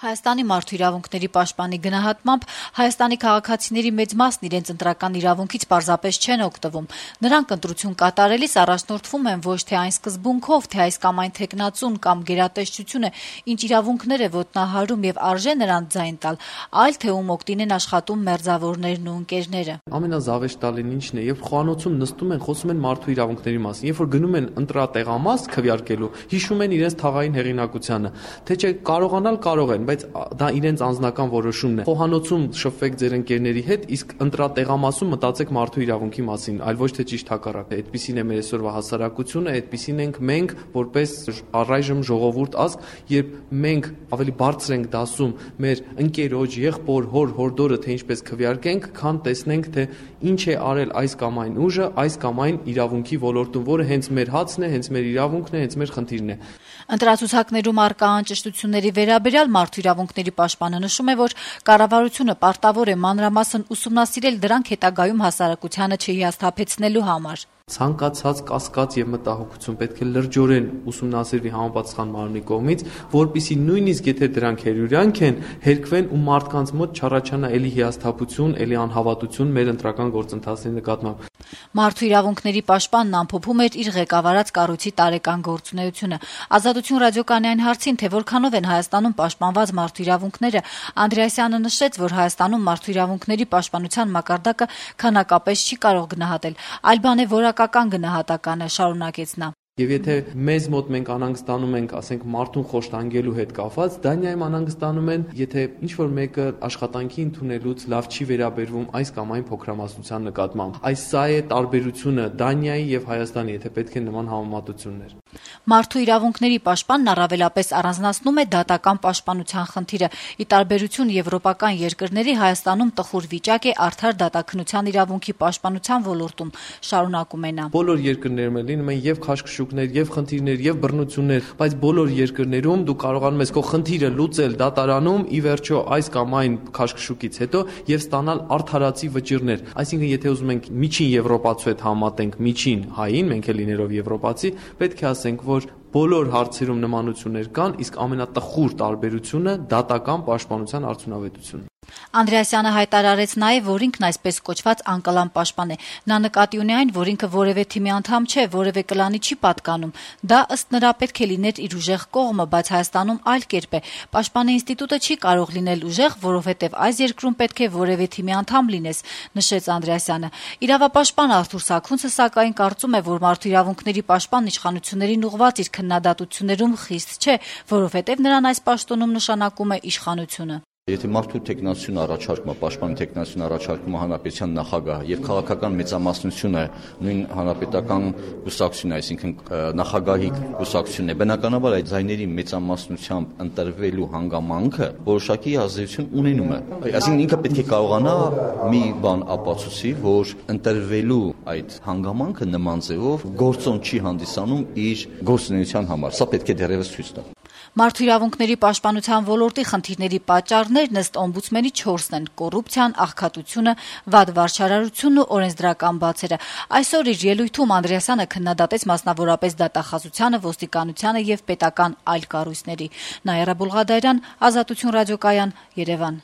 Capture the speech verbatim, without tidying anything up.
Հայաստանի մարդու իրավունքների պաշտպանի գնահատմամբ Հայաստանի քաղաքացիների մեծ մասն իրենց ընտրական իրավունքից պարզապես չեն օգտվում։ Նրանք ընտրություն կատարելիս առաջնորդվում են ոչ թե այն սկզբունքով, թե այս կամ այն թեկնածուն կամ գերատեսչությունը ինչ իրավունքներ է ոտնահարում եւ արժե նրանց ձայն տալ, այլ թե ում օգտին են աշխատում մերձավորներն ու ընկերները։ Ամենազավեշտալին ինչն է, երբ խոհանոցում նստում են, խոսում են մարդու իրավունքների մասին, երբ որ գնում են ընտրատեղամաս քվեարկելու, հիշում են իրենց թաղային հեղինակությանը, թե չէ կարողանալ կարող են, բայց դա իրենց անձնական որոշումն է։ Խոհանոցում շփվեք ձեր ընկերների հետ, իսկ ընտրատեղամասում մտածեք մարդու իրավունքի մասին, այլ ոչ թե ճիշտ հակառակը։ Այդպիսին է մեր այսօրվա հասարակությունը, այդպիսին ենք մենք, որպես առայժմ ժողովուրդ ազգ, երբ մենք ավելի բարձր ենք դասում մեր ընկերոջ, եղբոր, հոր, հորդորը, թե ինչպես քվեարկենք, քան տեսնենք, թե ինչ է արել այս կամ այն ուժը, այս կամ այն իրավունքի ոլորտում, որը հենց մեր հացն է, հենց մեր իրավունքն է, հենց մեր խնդիրն է։ Ընտրացուցակներում առկա անճշտությունների վերաբերյալ մարդու իրավունքների պաշտպանը նշում է, որ կառավարությունը պարտավոր է մանրամասն ուսումնասիրել դրանք հետագայում հասարակությանը չհիասթափեցնելու համար։ Ցանկացած կասկած եւ մտահոգություն պետք է լրջորեն ուսումնասիրվի համապատասխան մարմնի կողմից, որպիսի նույնիսկ եթե դրանք հերյուրյանք են, հերկվեն ու մարդկանց մոտ չառաջանա էլի հիասթափություն, էլի անհավատություն մեր ընտրական գործընթացների նկատմամբ։ Մարդու իրավունքների պաշտպանն ամփոփում էր իր ղեկավարած կառույցի տարեկան գործունեությունը։ Ազատություն ռադիոկայանային հարցին, թե որքանով են Հայաստանում պաշտպանված մարդու իրավունքները, Անդրեասյանը նշեց, որ Հայաստանում մարդու իրավունքների պաշտպանության մակարդակը քանակապես չի կարող գնահատել, այլ բան է որակական գնահատականը, շարունակեց նա։ Եվ եթե մեզ մոտ մենք անհանգստանում ենք, ասենք մարդուն խոշտանգելու հետ կապված, Դանիայում անհանգստանում են, եթե ինչ-որ մեկը աշխատանքի ընդունելուց լավ չի վերաբերվում այս կամ այն փոքրամասնության նկատմամբ։ Այս սա է տարբերությունը Դանիայի եւ Հայաստանի, եթե պետք է նման համեմատություններ։ Մարդու իրավունքների պաշտպանն առավելապես առանձնացնում է դատական պաշտպանության խնդիրը։ Ի տարբերություն եվրոպական երկրների, Հայաստանում տխուր վիճակ է արդար դատաքննության իրավունքի պաշտպանության ոլորտում, շարունակում է նա։ Բոլոր երկրներում լինում են եւ քաշքշուկներ, եւ խնդիրներ, եւ բռնություններ, բայց բոլոր երկրներում դու կարողանում ես քո խնդիրը լուծել դատարանում, ի վերջո այս կամ այն քաշքշուկից հետո եւ ստանալ արդարացի վճիռներ։ Այսինքն, եթե ուզում ենք միջին եվրոպացու հետ համատենք միջին հային, մենք էլ լինելով եվրոպացի, պետք է ասենք, որ բոլոր հարցերում նմանություններ կան, իսկ ամենատխուր տարբերությունը դատական պաշտպանության արդյունավետությունն է։ Անդրեասյանը հայտարարեց նաև, որ ինքն այսպես կոչված անկլան պաշտպան է։ Նա նկատի ունի այն, որ ինքը որևէ թիմի անդամ չէ, որևէ կլանի չի պատկանում։ Դա ըստ նրա պետք է լիներ իր ուժեղ կողմը, բայց Հայաստանում այլ կերպ է։ Պաշտպանի ինստիտուտը չի կարող լինել ուժեղ, որովհետև այս երկրում պետք է որևէ թիմի անդամ լինես, նշեց Անդրեասյանը։ Իրավապաշտպան Արթուր Սաքունցը սակայն կարծում է, որ մարդու իրավունքների պաշտպան իշխանություններին ուղղված իր քննադատություններում խիստ չէ, որովհետև նրան այս պաշտոնում նշանակում է իշխանությունը։ Եթե մարդու տեխնացիոն առաջարկումը, պաշտպանի տեխնացիոն առաջարկումը հանրապետության նախագահ եւ քաղաքական մեծամասնությունը նույն հանրապետական կուսակցությունն, այսինքն նախագահի կուսակցությունն է, բնականաբար այդ ձայների մեծամասնությամբ ընտրվելու հանգամանքը որոշակի ազդեցություն ունենում է։ Այսինքն ինքը պետք է կարողանա մի բան ապացուցի, որ ընտրվելու այդ հանգամանքը նման ձևով գործոն չի հանդիսանում իր գործունեության համար։ Սա պետք է դեռևս ցույց տա։ Մարդու իրավունքների պաշտպանության ոլորտի խնդիրների պատճառներն ըստ օմբուդսմենի չորսն են՝ կոռուպցիան, աղքատությունը, վատ վարչարարությունն ու օրենսդրական բացերը։ Այսօր իր ելույթում Անդրեասյանը քննադատեց մասնավորապես դատախազությանը, ոստիկանությանը եւ պետական այլ կառույցների։ Նաիրա Բուլղադարյան, Ազատություն ռադիոկայան, Երևան։